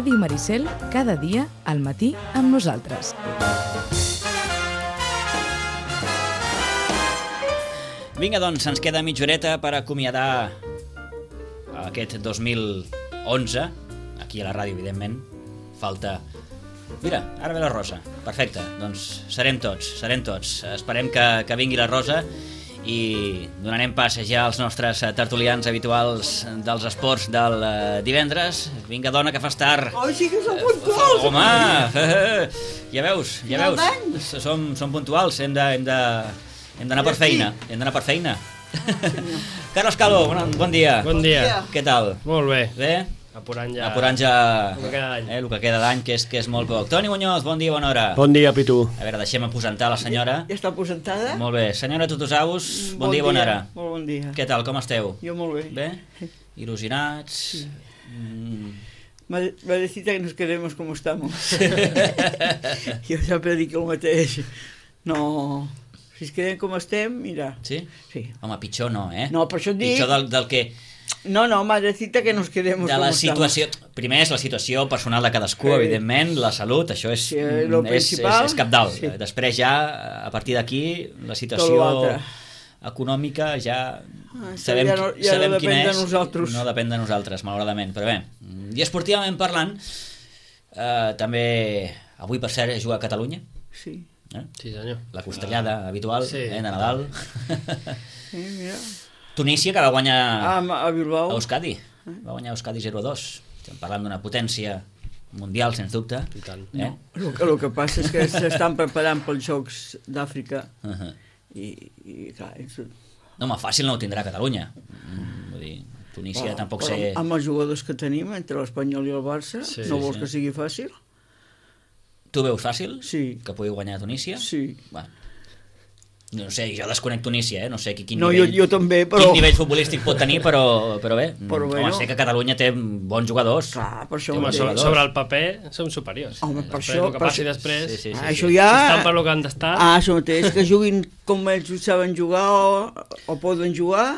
Ràdio Maricel, cada dia al matí amb nosaltres. Vinga, doncs, ens queda mitja horeta per acomiadar aquest 2011, aquí a la ràdio, evidentment. Falta... Mira, ara ve la Rosa. Perfecte, doncs serem tots. Esperem que vingui la Rosa i donarem pas ja als nostres tertulians habituals dels esports del divendres. Vinga, dona, que fas tard. Sí que som puntuals. Home, ja veus. Som puntuals, hem d'anar per feina. Carlos Calvo, bon dia. Bon dia. Què tal? Molt bé. Bé? Apurant ja el que queda d'any, que és molt poc. Toni Muñoz, bon dia, bona hora. Bon dia, Pitu. A veure, deixem aposentar la senyora. Ja està aposentada? Molt bé. Senyora Tutusaus, bon dia, bona hora. Molt bon dia. Què tal, com esteu? Jo molt bé. Bé? Il·lusionats? Sí. Madrecita, que nos quedemos como estamos. Jo sempre dic el mateix. No... Si es quedem com estem, mira... Sí? Sí. Home, pitjor no, eh? No, per això et dic... Pitjor del que... No, madrecita, que nos quedemos de com la estamos. situació... Primer és la situació personal de cadascú, evidentment, la salut, això és, sí, és cabdal. Sí. Després ja, a partir d'aquí, la situació econòmica ja sabem quina és. No depèn de nosaltres, malauradament. Però bé, i esportivament parlant, també avui, per cert, juga a Catalunya. Sí. Sí, senyor. La costellada habitual, sí. De Nadal. Sí, mira. Tunísia, que va guanyar a Bilbao. A Euskadi. Va guanyar Euskadi 0-2. Estem parlant d'una potència mundial, sens dubte. I tant. No, el que passa és que s'estan preparant pels Jocs d'Àfrica i clar... No, home, fàcil no ho tindrà Catalunya. Vull dir, Tunísia tampoc sé... Amb els jugadors que tenim, entre l'Espanyol i el Barça, no vols que sigui fàcil? Tu veus fàcil? Sí. Que pugui guanyar Tunísia? Sí. Bueno, no sé, jo desconec Tunísia, no sé quin nivell, jo també, però... quin nivell futbolístic pot tenir, però bé, home, sé que Catalunya té bons jugadors. Clar, per això... Home, sobre el paper som superiors. Home, per això... El que passi després... Sí. Això ja... Estan per lo que han d'estar... Això mateix, que juguin com ells saben jugar o poden jugar...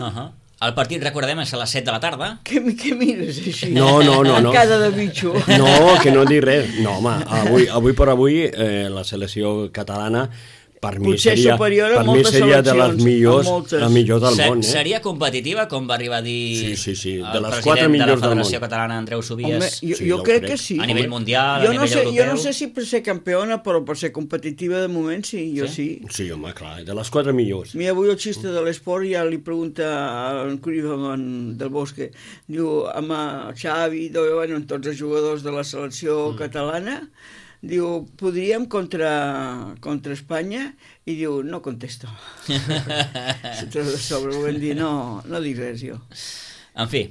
El partit, recordem, és a les 7 de la tarda. Què mires així? No. Cara de bitxo. No, que no dic res. No, home, avui per avui la selecció catalana per mi seria de les millors del món. Seria competitiva, com va arribar a dir de el les president de la Federació Catalana, Andreu Sobies? Jo crec que sí. A nivell mundial, a nivell europeu? Jo no sé si per ser campiona, però per ser competitiva de moment sí, jo sí. Sí, home, clar, de les 4 millors. Mira, avui el xiste de l'esport ja li pregunta a en Curibaman del Bosque, diu, amb Xavi, bueno, tots els jugadors de la selecció catalana, diu, podríem contra Espanya? I diu, no contesto. Sobre ho vam dir, no dic res jo. En fi,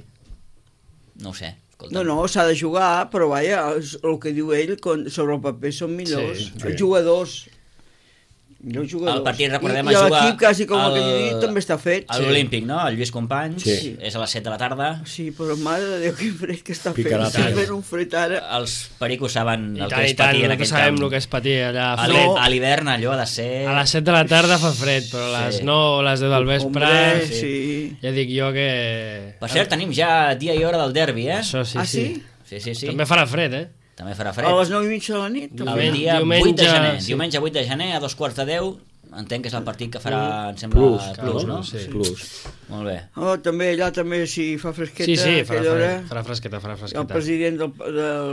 no ho sé. No, s'ha de jugar, però vaja, el que diu ell, sobre el paper són millors. Els jugadors. El partit, recordem, I l'equip, quasi com el que jo dic, també està fet. A l'Olímpic, no? El Lluís Companys, és a les 7 de la tarda. Sí, però mare de Déu, quin fred que està fent. Està fent un fred ara. Els pericos saben el que és patir en aquell camp. Sabem el que és patir allà. A l'hivern allò ha de ser... A les 7 de la tarda fa fred, però a les 9 o les 10 del vespre... Ja dic jo que... Per cert, tenim ja dia i hora del derbi, eh? Això sí, sí. Sí. També farà fred, eh? També farà fred. A les 9:30 de la nit? Diumenge 8 de gener, a 2:45. Entenc que és el partit que farà, em sembla, Plus, no? Sí, Plus. Molt bé. Allà també, si fa fresqueta... Sí, farà fresqueta. El president de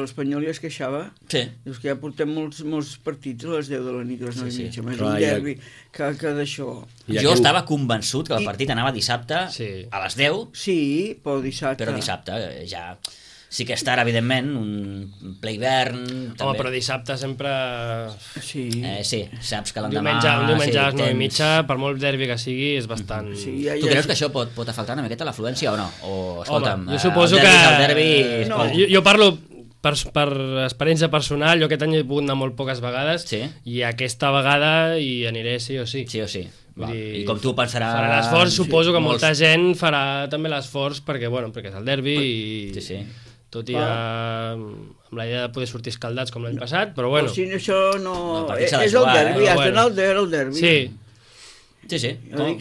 l'Espanyol ja es queixava. Sí. Dius que ja portem molts partits a les 10 de la nit, a les 9:30. Més un derbi que d'això... Jo estava convençut que el partit anava dissabte a les 10. Sí, però dissabte... Però dissabte ja... Sí que estarà, evidentment, un ple hivern... Home, però dissabte sempre... Sí, saps que l'endemà... Un diumenge a les 9:30, per molt derbi que sigui, és bastant... Tu creus que això pot afectar una miqueta l'afluència o no? O, escolta'm, jo suposo que... El derbi... Jo parlo per experiència personal, jo aquest any he pogut anar molt poques vegades i aquesta vegada hi aniré sí o sí. Sí o sí. I com tu pensaràs... Farà l'esforç, suposo que molta gent farà també l'esforç perquè és el derbi i... Tot i amb la idea de poder sortir escaldats com l'any passat, però bueno... Però si això no... És el derbi, has d'anar al derbi. Sí. Sí, sí.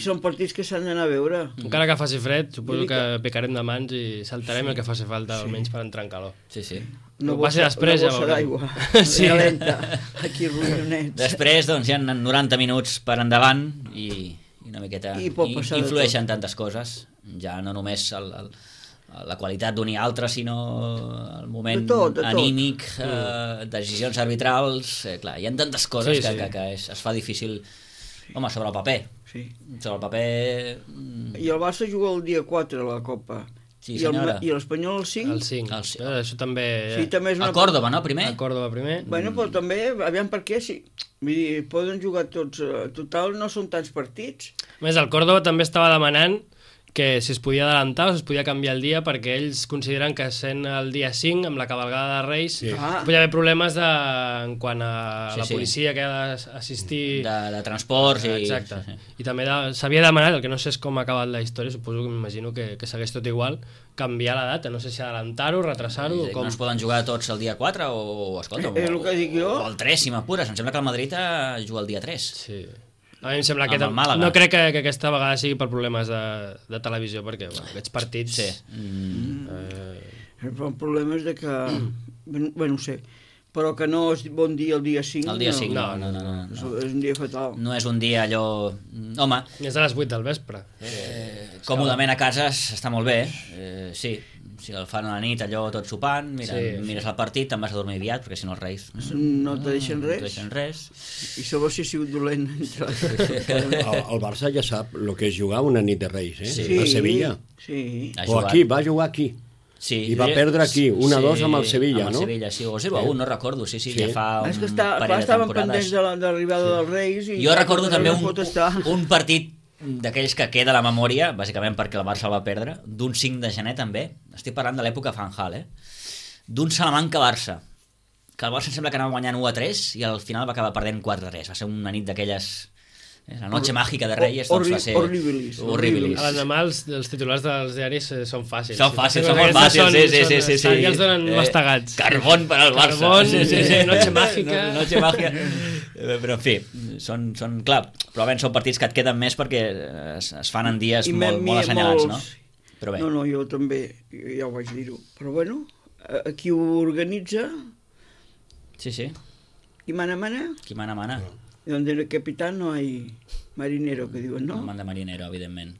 Són partits que s'han d'anar a veure. Encara que faci fred, suposo que picarem de mans i saltarem el que faci falta, almenys per entrar en calor. Sí, sí. Una bossa d'aigua. Sí. Aquí ronyonets. Després, doncs, hi ha 90 minuts per endavant i una miqueta influeixen tantes coses. Ja no només la qualitat d'un i altre, sinó el moment anímic, decisions arbitrals... Clar, hi ha tantes coses que es fa difícil... Home, sobre el paper. Sobre el paper... I el Barça juga el dia 4 a la Copa. Sí, senyora. I l'Espanyol el 5? El 5. Això també... Sí, també és a Còrdova, no? Primer? A Còrdova primer. Bueno, però també, aviam per què, sí. Vull dir, poden jugar tots... Total, no són tants partits. A més, el Còrdova també estava demanant que si es podia adelantar o si es podia canviar el dia, perquè ells consideren que sent el dia 5, amb la cavalgada de Reis, podia haver problemes en quant a la policia que ha d'assistir... De transports i... Exacte. I també s'havia demanat, el que no sé és com ha acabat la història, suposo que m'imagino que segueix tot igual, canviar la data, no sé si adelantar-ho, retrasar-ho... No es poden jugar tots el dia 4 o escolta, o el 3, si m'apures. Em sembla que el Madrid juga el dia 3. Sí. A mi em sembla que no crec que aquesta vegada sigui per problemes de televisió, perquè aquests partits... Sí. El problema és que... Bé, no sé, però que no és bon dia el dia 5. El dia 5, no. És un dia fatal. No és un dia allò... Home... És a les 8 del vespre. Còmodament a casa està molt bé, sí. Si el fan a la nit, allò tot sopant, mires el partit, te'n vas a dormir aviat, perquè si no els Reis... No te deixen res. No te deixen res. I sobre si ha sigut dolent. El Barça ja sap el que és jugar una nit de Reis, a Sevilla. Sí. O aquí, va jugar aquí. Sí. I va perdre aquí, 1-2 amb el Sevilla, no? Amb el Sevilla, sí, o 0-1, no recordo, sí, ja fa un parell de temporades. Estaven pendents de l'arribada dels Reis... Jo recordo també un partit d'aquells que queda a la memòria, bàsicament perquè el Barça el va perdre, d'un 5 de gener també, estic parlant de l'època Van Gaal, d'un Salamanca-Barça, que el Barça sembla que anava guanyant 1-3 i al final va acabar perdent 4-3, va ser una nit d'aquelles... La noche màgica de Reyes doncs va ser... Horribilis. A l'endemà els titulars dels diaris són fàcils. Són molt fàcils, sí. Ja els donen mastegats. Carbón per al Barça. Carbón, noche mágica. Noche mágica. Però en fi, són clar, probablement són partits que et queden més perquè es fan en dies molt assenyalats, no? Però bé. No, jo també, ja ho vaig dir-ho. Però bueno, qui ho organitza... Sí. Qui mana? Qui mana. I donde el capitán no hay marinero, que diuen, no? No manda marinero, evidentment.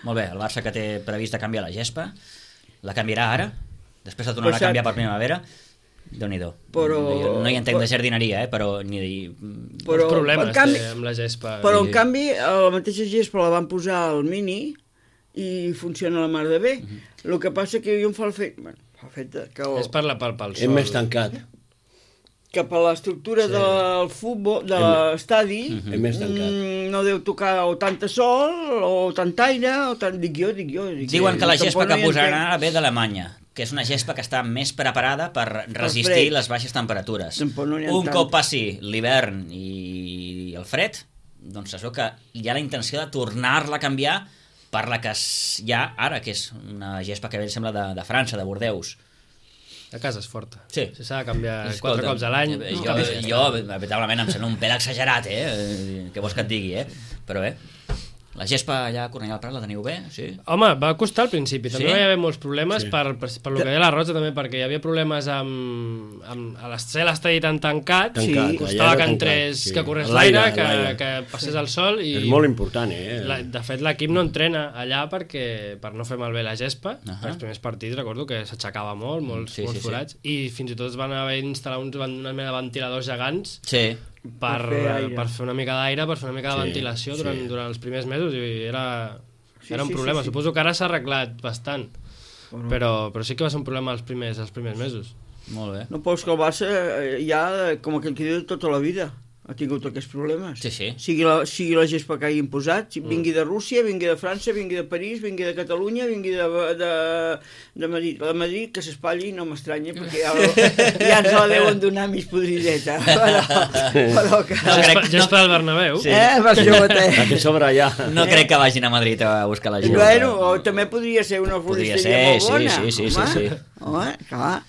Molt bé, el Barça que té previst de canviar la gespa, la canviarà ara, després la tornarà a canviar per primavera. Déu-n'hi-do. No hi entenc de jardineria, però els problemes amb la gespa. Però en canvi, la mateixa gespa la van posar al Mini i funciona la mar de bé. El que passa que jo em fa el fet... És per pel sol. És més tancat. Cap a l'estructura del futbol, de l'estadi, no deu tocar o tanta sol, o tant aire, o tant... Dic jo. Diuen que la gespa que posaran ara ve d'Alemanya, que és una gespa que està més preparada per resistir les baixes temperatures. Un cop passi l'hivern i el fred, doncs es veu que hi ha la intenció de tornar-la a canviar per la que hi ha ara, que és una gespa que ve, sembla, de França, de Bordeus. A casa és forta. Sí. Si s'ha de canviar 4 cops a l'any... Jo, veritablement, em sembla un pèl exagerat, què vols que et digui, Però bé, la gespa allà a Cornellà del Prat la teniu bé, sí? Home, va costar al principi, també hi va haver molts problemes per lo que deia la Rosa també, perquè hi havia problemes amb ser l'estadi tan tancat, costava que entrés, que corrés l'aire, que passés el sol i... És molt important, De fet, l'equip no entrena allà per no fer malbé la gespa. Els primers partits recordo que s'aixecava molts forats, i fins i tot van haver d'instal·lar una mena de ventiladors gegants per fer una mica d'aire, per fer una mica de ventilació durant els primers mesos, i era un problema. Suposo que ara s'ha arreglat bastant, però sí que va ser un problema els primers mesos. Molt bé. No, però és que el Barça ja, com aquell que diu, tota la vida ha tingut aquests problemes. Sí. Sigui la gespa que hagin posat, vingui de Rússia, vingui de França, vingui de París, vingui de Catalunya, vingui de Madrid. La Madrid, que s'espatlli, no m'estranya, perquè ja ens la deuen donar mig podrideta. Però que... Gespa del Bernabéu. La que sobra ja. No crec que vagin a Madrid a buscar la gespa. Bueno, també podria ser una floristeria molt bona. Sí. Home, clar.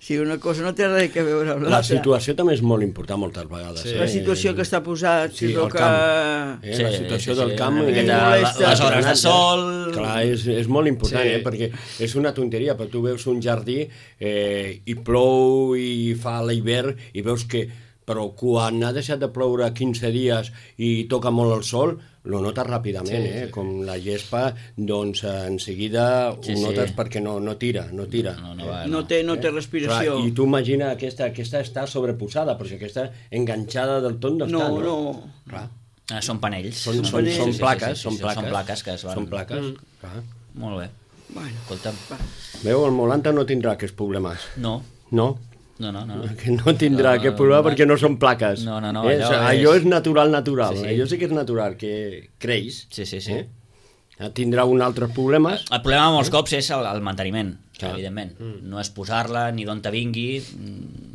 Sí, una cosa no té res a veure amb l'altra. La situació també és molt important moltes vegades. Sí. La situació que està posat, sí, el camp. La situació del camp. Les hores de sol... Clar, és molt important, perquè és una tonteria, però tu veus un jardí i plou i fa l'hivern i veus que... Però quan ha deixat de ploure 15 dies i toca molt el sol, lo notes ràpidament, com la gespa, doncs en seguida ho notes perquè no tira. No té respiració. Clar, i tu imagina aquesta està sobreposada, però si aquesta enganxada del tot no està. No. Són panells. Són plaques. Són plaques que es van... Són plaques, clar. Molt bé. Escolta'm. Veu, el Molanta no tindrà aquests problemes. No. No? No. Que no tindrà aquest problema perquè no són plaques. No. Allò és natural. Allò sí que és natural, que creix. Sí. Tindrà un altre problema. El problema molts cops és el manteniment, evidentment. No és posar-la ni d'on te vingui,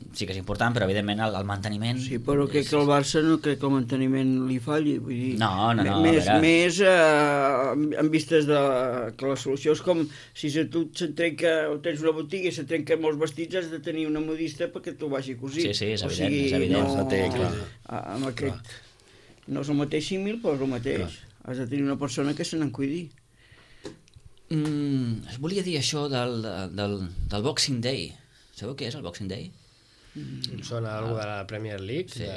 sí que és important, però evidentment el manteniment... Sí, però crec que el Barça no crec que el manteniment li falli. Vull dir, no. Més en vistes de que la solució és com si tu se't trenca, o tens una botiga i se't trenquen molts vestits, has de tenir una modista perquè t'ho vagi cosit. Sí, és evident. Amb aquest... No és el mateix símil, però és el mateix. Has de tenir una persona que se n'en cuidi. Es volia dir això del Boxing Day. Sabeu què és el Boxing Day? Em sona alguna de la Premier League? Sí.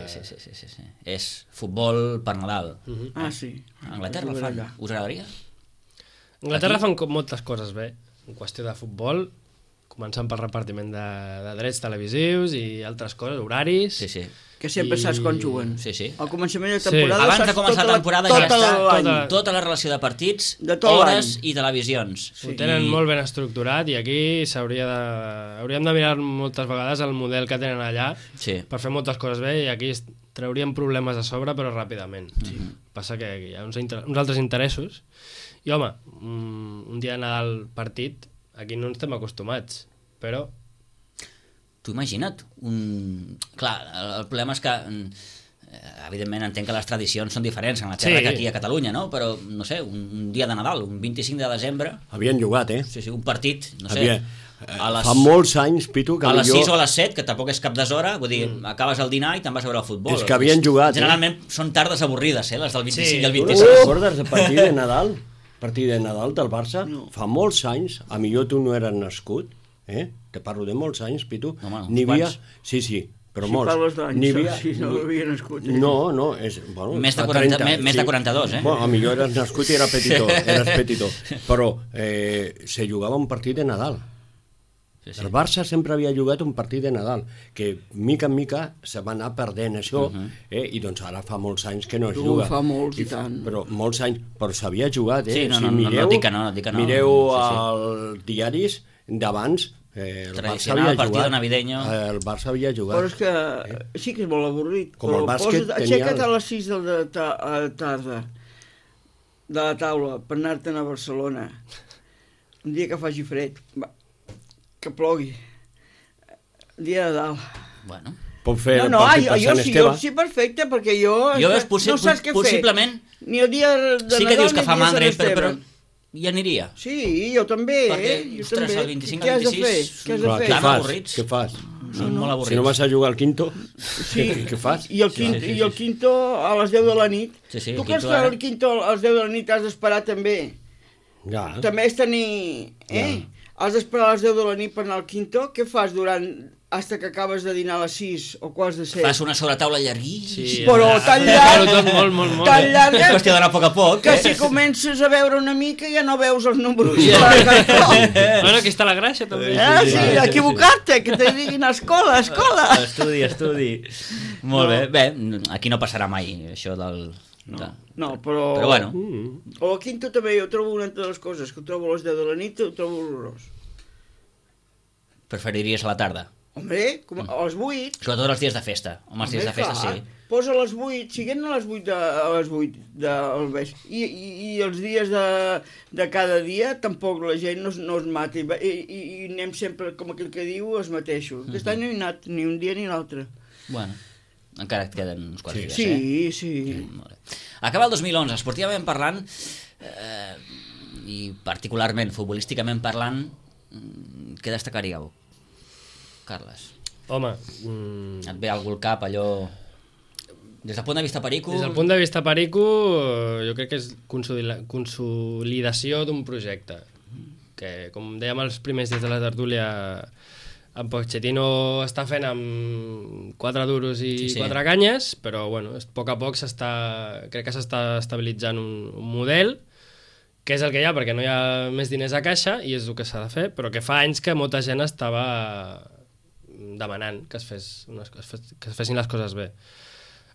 És futbol per Nadal. Sí. A Anglaterra el fan. Us agradaria? A Anglaterra fan moltes coses bé. En qüestió de futbol, començant pel repartiment de drets televisius i altres coses, horaris... Sí. Que sempre saps quan juguen. Sí. Al començament de temporada... Abans de començar la temporada ja està tota la relació de partits, hores i televisions. Ho tenen molt ben estructurat i aquí hauríem de mirar moltes vegades el model que tenen allà per fer moltes coses bé i aquí trauríem problemes a sobre però ràpidament. Passa que hi ha uns altres interessos i home, un dia de Nadal partit aquí no ens estem acostumats, però... Tu imagina't, clar, el problema és que, evidentment, entenc que les tradicions són diferents en la terra que aquí a Catalunya, no? Però, no sé, un dia de Nadal, un 25 de desembre... Havien jugat, Sí, un partit, no sé... Fa molts anys, Pitu, que a les 6 o a les 7, que tampoc és cap d'hora, vull dir, acabes el dinar i te'n vas a veure el futbol. És que havien jugat, Generalment són tardes avorrides, les del 25 i el 26. Tu recordes el partit de Nadal? Partit de Nadal del Barça? Fa molts anys, a millor tu no eres nascut, te parlo de molts anys, Pitu, n'hi havia... Sí, però molts. Si parles d'anys, si no havia nascut. No, és... Més de 42, Bueno, a millor eres nascut i eres petitó. Però se jugava un partit de Nadal. El Barça sempre havia jugat un partit de Nadal, que mica en mica se va anar perdent això, i doncs ara fa molts anys que no es juga. Fa molts i tant. Però molts anys, però s'havia jugat, Sí, no dic que no. Mireu els diaris d'abans, el Barça havia jugat. El Barça havia jugat. Però és que sí que és molt avorrit. Com el bàsquet aixeca't a les 6 de la tarda de la taula per anar-te'n a Barcelona un dia que faci fred, que plogui, dia de dalt. Bueno. Pot fer el partit per Sant Esteve. Jo sí, perfecte, perquè jo no saps què fer. Possiblement, ni el dia de sí que dius que fa mandra, però hi aniria. Sí, jo també. Perquè, ostres, el 25 al 26... Què has de fer? Què fas? Són molt avorrits. Si no vas a jugar al quinto, què fas? I el quinto a les 10 de la nit. Tu creus que el quinto a les 10 de la nit has d'esperar també? També és tenir... Has d'esperar a les 10 de la nit per anar al quinto? Què fas durant... hasta que acabes de dinar a les 6 o quarts de 7? Fas una sobretaula llarguíssima. Però tan llarg... Molt. Tan llarg... És qüestió d'anar a poc a poc. Que si comences a veure una mica ja no veus els números. Bueno, aquí està la gràcia, també. Sí, equivocar-te, que te diguin escola. Estudi. Molt bé. Bé, aquí no passarà mai, això del... No, però bueno. O al quinto també jo trobo una de les coses que ho trobo a les 10 de la nit, ho trobo horrorós. Preferiries a la tarda? Hombre, a les 8. Sobretot els dies de festa. Home, els dies de festa sí. Posa a les 8, siguent a les 8 del vespre. I els dies de cada dia tampoc la gent no es mati. I anem sempre, com aquell que diu, els mateixos. Aquest any no he anat ni un dia ni l'altre. Bueno, encara et queden uns quants dies, Sí. Molt bé. Acaba el 2011, esportivament parlant, i particularment futbolísticament parlant, què destacaríeu? Carles? Home... Et ve algú al cap, allò... Des del punt de vista perico... Des del punt de vista perico, jo crec que és consolidació d'un projecte. Que, com dèiem els primers dies de la tertúlia, en Pochettino està fent amb 4 duros i 4 canyes, però bueno, a poc crec que s'està estabilitzant un model, que és el que hi ha, perquè no hi ha més diners a caixa, i és el que s'ha de fer, però que fa anys que molta gent estava demanant que es fessin les coses bé.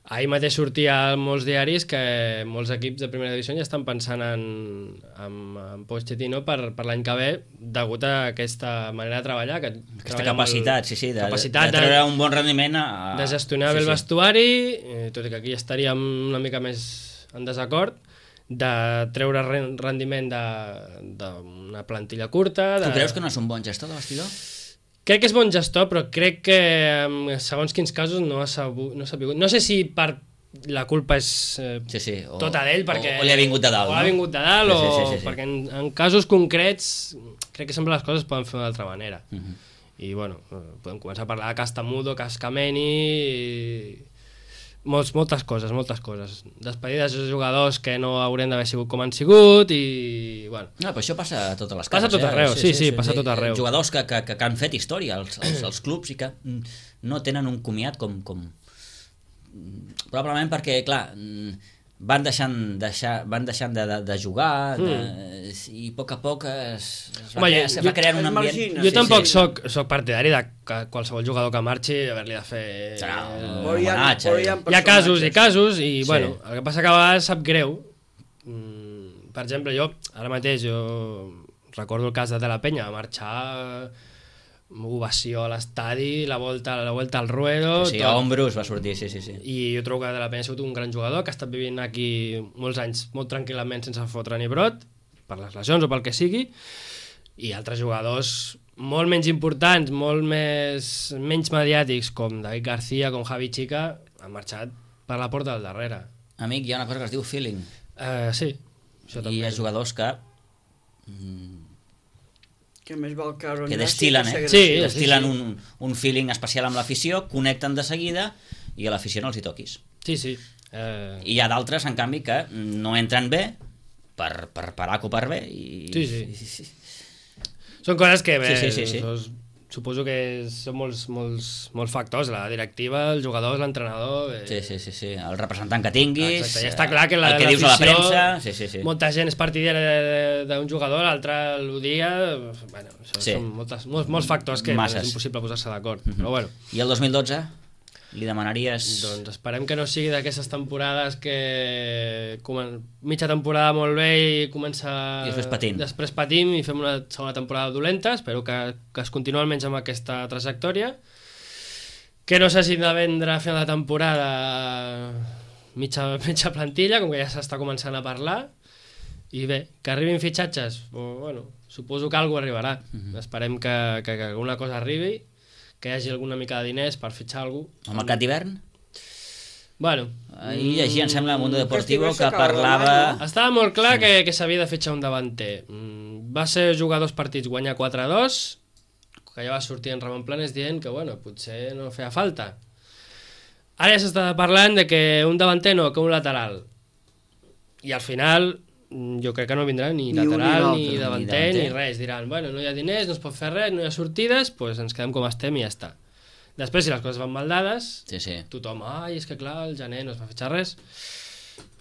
Ahir mateix sortia a molts diaris que molts equips de primera divisió ja estan pensant en Pochettino per l'any que ve, degut a aquesta manera de treballar. Aquesta capacitat, de treure un bon rendiment. De gestionar bé el vestuari, tot i que aquí estaríem una mica més en desacord, de treure rendiment d'una plantilla curta. Tu creus que no és un bon gestor de vestidor? Crec que és bon gestor, però crec que en segons quins casos no ha sabut. No sé si per la culpa és tota d'ell, perquè... O li ha vingut de dalt, no? O l'ha vingut de dalt, perquè en casos concrets crec que sempre les coses es poden fer d'una altra manera. I, bueno, podem començar a parlar de Castamudo, Cascameni... Moltes coses. Despedides de jugadors que no haurien d'haver sigut com han sigut i... Bueno. No, però això passa a totes les cases. Passa a tot arreu, sí, passa a tot arreu. Jugadors que han fet història als clubs i que no tenen un comiat com... Probablement perquè, clar, van deixant de jugar i a poc es va crear un ambient... Jo tampoc soc partidari de que qualsevol jugador que marxi haver-li de fer... Hi ha casos i casos i, bueno, el que passa que a vegades sap greu. Per exemple, ara mateix recordo el cas de la Penya, va marxar... ovació a l'estadi, la volta al ruedo... Sí, a Ombrus va sortir, sí. I jo trobo que de la Penya ha sigut un gran jugador, que ha estat vivint aquí molts anys molt tranquil·lament sense fotre ni brot, per les lesions o pel que sigui, i altres jugadors molt menys importants, menys mediàtics, com David García, com Javi Chica, han marxat per la porta del darrere. Amic, hi ha una cosa que es diu feeling. Sí, això també. I hi ha jugadors que... que més val que destil·len, destil·len un feeling especial amb l'afició, connecten de seguida i a l'afició no els hi toquis. Sí. I hi ha d'altres, en canvi, que no entren bé per parar o per bé. Sí. Són coses que suposo que són molts factors, la directiva, el jugador, l'entrenador... Sí, el representant que tinguis... Exacte, ja està clar que el que dius a la premsa... Sí. Molta gent és partidària d'un jugador, l'altre l'odia... Bueno, són molts factors que és impossible posar-se d'acord, però bueno. I el 2012? Li demanaries... Doncs esperem que no sigui d'aquestes temporades que mitja temporada molt bé i comença... I després patim i fem una segona temporada dolenta. Espero que es continuï almenys amb aquesta trajectòria. Que no s'hagi de vendre a final de temporada mitja plantilla, com que ja s'està començant a parlar. I bé, que arribin fitxatges, bueno, suposo que alguna cosa arribarà. Esperem que alguna cosa arribi, que hi hagi alguna mica de diners per fitxar algú. El mercat d'hivern? Bueno. Ahir llegia, em sembla, Mundo Deportivo, que parlava... Estava molt clar que s'havia de fitxar un davanter. Va ser jugar 2 partits, guanyar 4-2, que ja va sortir en Ramon Planes dient que, bueno, potser no feia falta. Ara ja s'està parlant de que un davanter no, que un lateral. I al final... jo crec que no vindrà ni lateral, ni davanter, ni res. Diran, bueno, no hi ha diners, no es pot fer res, no hi ha sortides, doncs ens quedem com estem i ja està. Després, si les coses van mal dades, tothom, és que clar, el gener no es va fitxar res.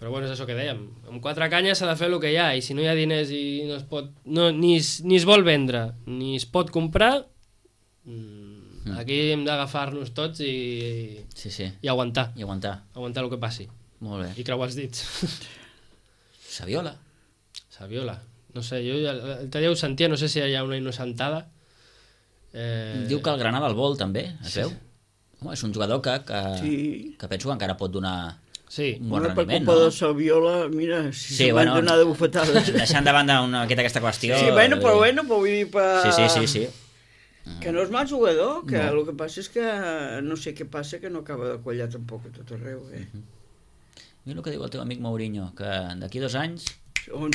Però bueno, és això que dèiem. Amb 4 canyes s'ha de fer el que hi ha, i si no hi ha diners i no es pot... ni es vol vendre, ni es pot comprar, aquí hem d'agafar-nos tots i aguantar. Aguantar el que passi. Molt bé. I creuar els dits. Saviola. No sé, jo l'altre dia ho sentia, no sé si hi ha una innocentada. Diu que el Granada el vol també, es veu? Home, és un jugador que penso que encara pot donar un bon rendiment, no? Per culpa de Saviola, mira, si se van donar de bufetades. Deixant de banda aquesta qüestió... Sí, però vull dir... Sí. Que no és mal jugador, que el que passa és que no sé què passa, que no acaba de quallar tampoc a tot arreu, Mira el que diu el teu amic Mourinho, que d'aquí 2 anys...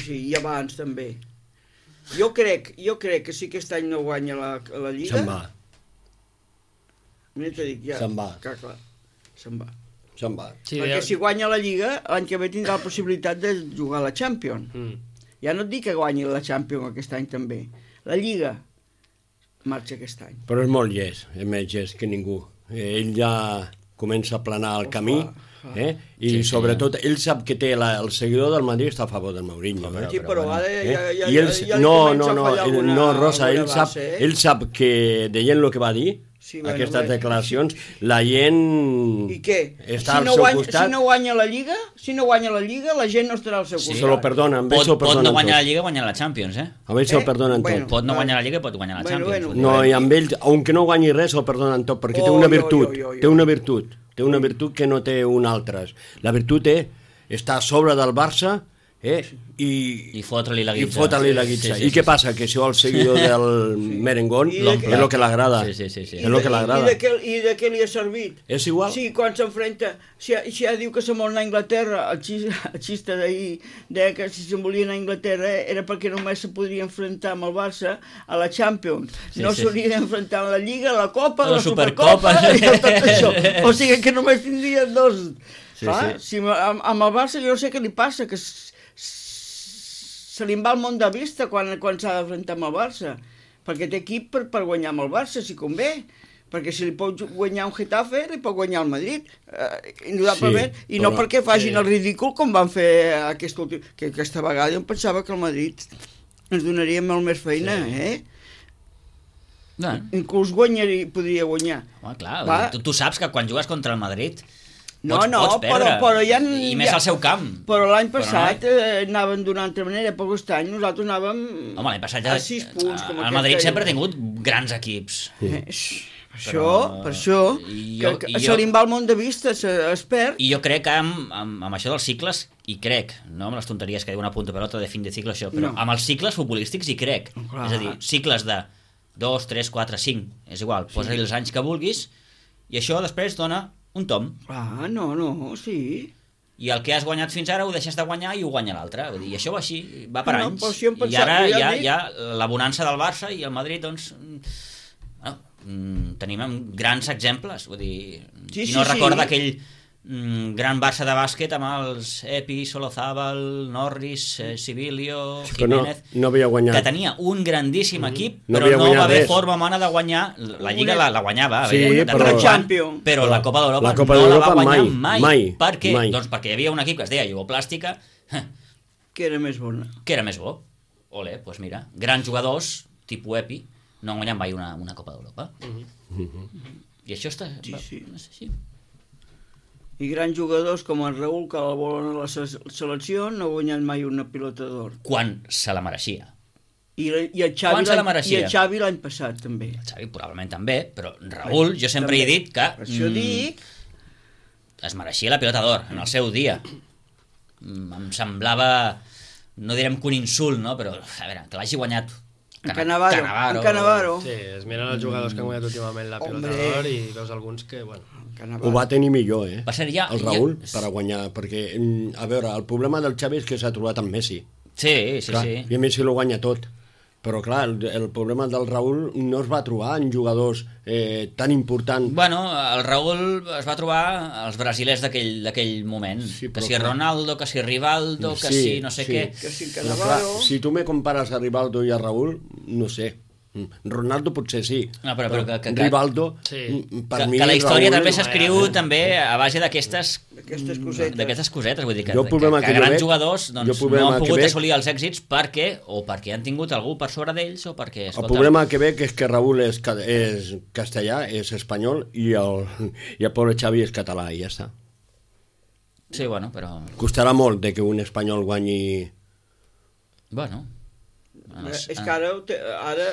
Sí, i abans també. Jo crec que si aquest any no guanya la Lliga... Se'n va. t'ho dic, ja. Se'n va. Clar, se'n va. Se'n va. Sí, Perquè si guanya la Lliga, l'any que ve tindrà la possibilitat de jugar a la Champions. Ja no et dic que guanyi la Champions aquest any també. La Lliga marxa aquest any. Però és molt llest, és més llest que ningú. Ell ja comença a planar el camí, i sobretot ell sap que té el seguidor del Madrid està a favor del Mourinho. Sí, però ara ja I ell, li comença a fallar alguna... no, Rosa, ell sap que deient el que va dir, aquestes declaracions, la gent I què? està al seu costat. Si no guanya la Lliga, la gent no estarà al seu costat. Se lo perdonen, pot no guanyar la Lliga, guanyar la Champions, A ell se'l perdonen tot. Pot no guanyar la Lliga, pot guanyar la Champions. No, i amb ell, aunque no guanyi res, se'l perdonen tot, perquè té una virtut, té una virtut que no té un altre. La virtut és estar a sobre del Barça, i fotre-li la guitza. I què passa? Que això al seguidor del merengón és el que l'agrada. És el que l'agrada. I de què li ha servit? És igual. Sí, quan s'enfrenta, si ja diu que se'n vol anar a Anglaterra, el xista d'ahir deia que si se'n volia anar a Anglaterra era perquè només se podria enfrontar amb el Barça a la Champions. No s'hauria d'enfrontar a la Lliga, a la Copa, a la Supercopa i a tot això. O sigui que només tindria dos. Amb el Barça jo no sé què li passa, que se li va el món de vista quan s'ha d'enfrontar amb el Barça, perquè té equip per guanyar amb el Barça, si convé, perquè si li pot guanyar un Getafe, li pot guanyar el Madrid, indudablement, i no perquè facin el ridícul com van fer que aquesta vegada jo em pensava que el Madrid ens donaria molt més feina, Inclús podria guanyar. Home, clar, tu saps que quan jugues contra el Madrid pots perdre, però ja... I més al seu camp. Però l'any passat anaven d'una altra manera, però aquest any nosaltres anàvem l'any passat a 6 punts. El Madrid sempre ha tingut grans equips. Per això, que se li va el món de vista, es perd. I jo crec que amb això dels cicles, hi crec, no amb les tonteries que diu una punta per altra de fin de cicle, això, però amb els cicles futbolístics hi crec. És a dir, cicles de 2, 3, 4, 5, és igual, posa-hi els anys que vulguis, i això després dona un tom. Sí. I el que has guanyat fins ara ho deixes de guanyar i ho guanya l'altre. I això va així, va per anys. I ara hi ha la bonança del Barça i el Madrid, doncs... tenim grans exemples. Vull dir, qui no recorda aquell gran Barça de bàsquet amb els Epi, Solozábal, Norris, Sibilio, Jiménez, que tenia un grandíssim equip, però no va haver forma humana de guanyar. La Lliga la guanyava, però la Copa d'Europa no la va guanyar mai. Per què? Doncs perquè hi havia un equip que es deia Jugoplàstica, que era més bona. Que era més bo. Ole, doncs mira, grans jugadors, tipus Epi, no han guanyat mai una Copa d'Europa. I això està... Sí. I grans jugadors com el Raúl, que el volen a la selecció, no ha guanyat mai una pilota d'or. Quan se la mereixia. I el Xavi l'any passat, també. El Xavi probablement també, però Raúl, jo sempre he dit que... Per això dic... Es mereixia la pilota d'or en el seu dia. Em semblava, no direm que un insult, no? Però, a veure, que l'hagi guanyat Cannavaro. Sí, es miren els jugadors que han guanyat últimament la pilota d'or i veus alguns que, ho va tenir millor, Va ser ja... el Raúl, per a guanyar, perquè, a veure, el problema del Xavi és que s'ha trobat amb Messi. Sí. I Messi lo guanya tot. Però, clar, el problema del Raúl no es va trobar en jugadors tan importants. Bueno, el Raúl es va trobar als brasilers d'aquell moment. Que si Ronaldo, que si Rivaldo, que si no sé què. Que si Cannavaro... Si tu me compares a Rivaldo i a Raúl, no sé. Ronaldo potser sí, però Rivaldo, per mi... Que la història també s'escriu també a base d'aquestes cosetes, vull dir que grans jugadors no han pogut assolir els èxits perquè han tingut algú per sobre d'ells o perquè... El problema que veig és que Raúl és castellà, és espanyol i el pobre Xavi és català i ja està. Sí, bueno, però... Costarà molt de que un espanyol guanyi... Bueno... És que ara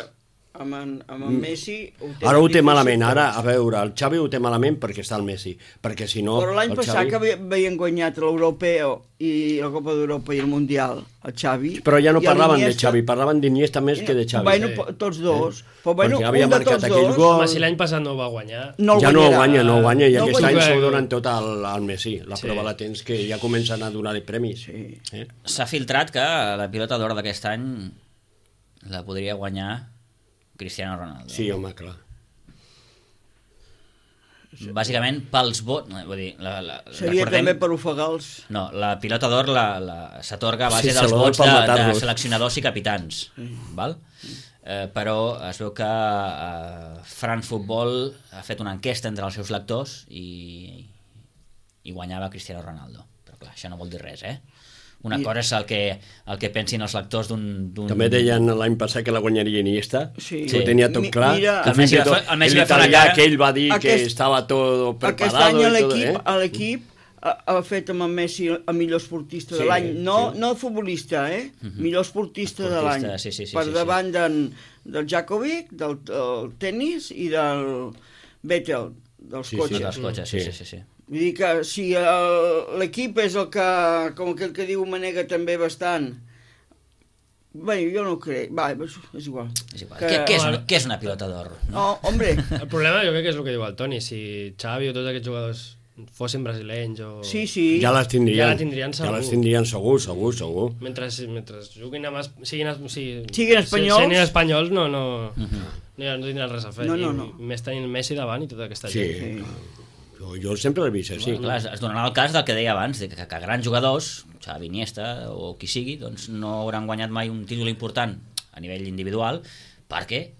amb en Messi ara ho té malament, ara a veure el Xavi ho té malament perquè està el Messi, perquè si no... Però l'any passat que havien guanyat l'Europeu i la Copa d'Europa i el Mundial el Xavi... Però ja no parlaven de Xavi, parlaven d'Iniesta més que de Xavi. Bueno, tots dos, perquè havia marcat aquell gol. Si l'any passat no ho va guanyar... Ja no ho guanya i aquest any s'ho donen tot al Messi. La prova la tens que ja comencen a donar-li premis. S'ha filtrat que la pilota d'or d'aquest any la podria guanyar Cristiano Ronaldo. Sí, home, clar. bàsicament pels vots... Vull dir, seria també per ofegar-los. No, la pilota d'or s'atorga a base dels vots de seleccionadors i capitans. Val? Però es veu que France Football ha fet una enquesta entre els seus lectors i guanyava Cristiano Ronaldo. Però clar, això no vol dir res, Una cosa és el que pensin els lectors d'un... També deien l'any passat que la guanyaria Iniesta, sí. Ho tenia tot clar, que fins i tot l'italià aquell va dir que estava tot preparado. Aquest any l'equip ha fet amb el Messi el millor esportista de l'any, no futbolista, millor esportista de l'any, per davant del Djokovic, del tennis i del Vettel, dels cotxes. Sí. Vull dir que si l'equip és el que, com aquell que diu, manega també bastant, bé, jo no ho crec, és igual. Què és una pilota d'or? No, hombre. El problema jo crec que és el que diu el Toni, si Xavi o tots aquests jugadors fossin brasilenys o... Sí. Ja les tindrien segur. Ja les tindrien segur. Mentre juguin amb... Siguin espanyols. Siguin espanyols no tindran res a fer. No. Més tenint Messi davant i tota aquesta gent. Sí. Jo sempre l'he vist així. Clar, es donarà el cas del que deia abans, que grans jugadors, Xavi, Iniesta o qui sigui, doncs no hauran guanyat mai un títol important a nivell individual perquè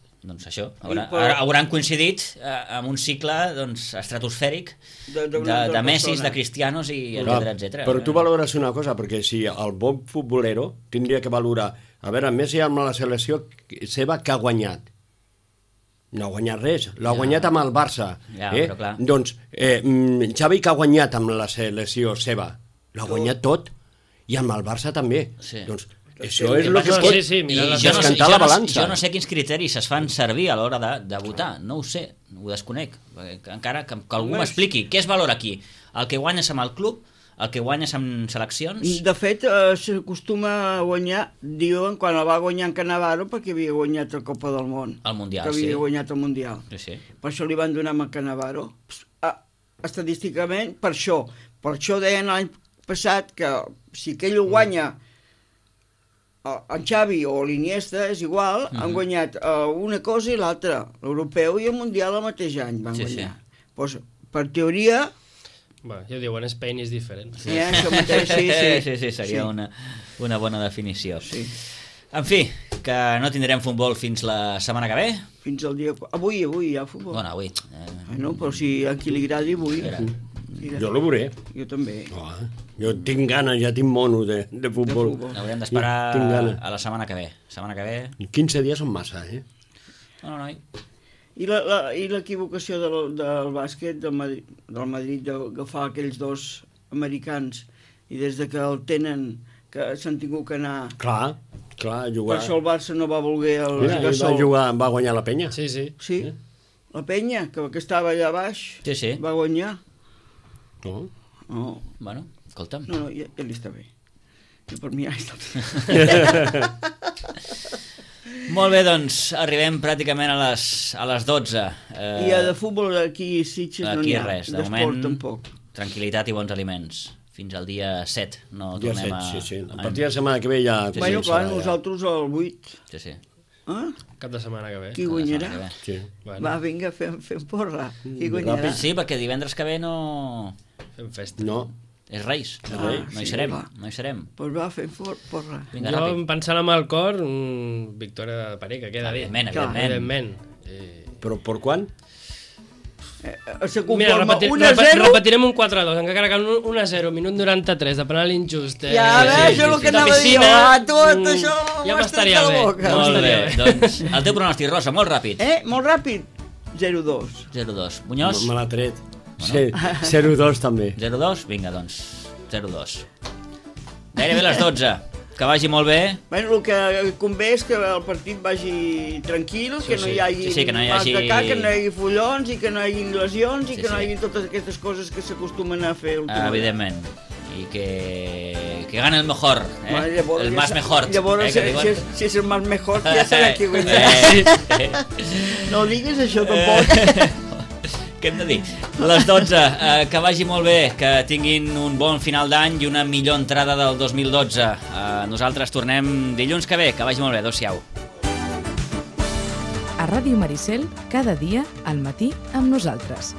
hauran coincidit amb un cicle estratosfèric de Messis, de Cristianos i etc. Però tu valores una cosa, perquè si el bon futbolero tindria que valorar, a veure, Messi amb la selecció seva que ha guanyat. No ha guanyat res, l'ha guanyat amb el Barça. Però clar. Doncs Xavi que ha guanyat amb la selecció seva, l'ha guanyat tot, i amb el Barça també. Doncs això és el que pot descantar la balança. Jo no sé quins criteris es fan servir a l'hora de votar, no ho sé, ho desconec. Encara que algú m'expliqui què es valora aquí, el que guanyes amb el club, el que guanyes amb seleccions... De fet, s'acostuma a guanyar, diuen, quan el va guanyar en Cannavaro, perquè havia guanyat la Copa del Món. El Mundial, que havia guanyat el Mundial. Sí. Per això li van donar amb el Cannavaro. Estadísticament, per això. Per això deien l'any passat que si aquell ho guanya en Xavi o l'Iniesta, és igual, han guanyat una cosa i l'altra. L'europeu i el Mundial el mateix any van guanyar. Doncs, per teoria... Ja ho diuen, Spain is different. Sí, això mateix, sí, seria una bona definició. Sí. En fi, que no tindrem futbol fins la setmana que ve. Fins al dia... Avui hi ha futbol. Bueno, avui. No, però si a qui li agradi, avui. Jo lo veuré. Jo també. Jo tinc ganes, ja tinc mono de futbol. Haurem d'esperar a la setmana que ve. 15 dies són massa, No. I l'equivocació del bàsquet del Madrid d'agafar aquells dos americans i des de que el tenen que s'han tingut que anar... Clar, jugar... Per això el Barça no va voler el Gasol. Va guanyar la Penya. Sí. La Penya, que estava allà baix, va guanyar. No. Bueno, escolta'm. No, ja li està bé. Jo per mi ja està bé. Molt bé, doncs arribem pràcticament a les 12. I de futbol aquí Sitges no n'hi ha. Res, de moment tranquil·litat i bons aliments. Fins al dia 7 no tornem a... Sí. A partir de la setmana que ve ja... Bueno, clar, nosaltres al 8. Sí. Cap de setmana que ve. Qui guanyarà? Sí. Va, vinga, fem porra. Qui guanyarà? Sí, perquè divendres que ve no... Fem festa. No. És Reis, no hi serem. Doncs va, fem porra. Jo pensant amb el cor, victòria de Parer, que queda bé. Evidentment. Però per quan? Mira, repetirem un 4-2, encara que un 1-0, minut 93, de penal injust. Ja, això és el que anava a dir jo. Tot això ja m'estaria bé. Molt bé, doncs el teu pronòstic, Rosa, molt ràpid. Molt ràpid. 0-2. 0-2. Muñoz? Me l'ha tret. 0-2 també. 0-2? Vinga, doncs, 0-2. Gairebé les 12. Que vagi molt bé. Bueno, el que convé és que el partit vagi tranquil, que no hi hagi mal de cap, que no hi hagi follons i que no hi hagi lesions i que no hi hagi totes aquestes coses que s'acostumen a fer últimament. Evidentment. I que gane el mejor, el más mejor. Llavors, si és el más mejor, ja serà qui guanyarà. No diguis això tampoc. Què hem de dir? Les 12, que vagi molt bé, que tinguin un bon final d'any i una millor entrada del 2012. Nosaltres tornem dilluns que ve, que vagi molt bé, adéu-siau. A Ràdio Maricel, cada dia, al matí, amb nosaltres.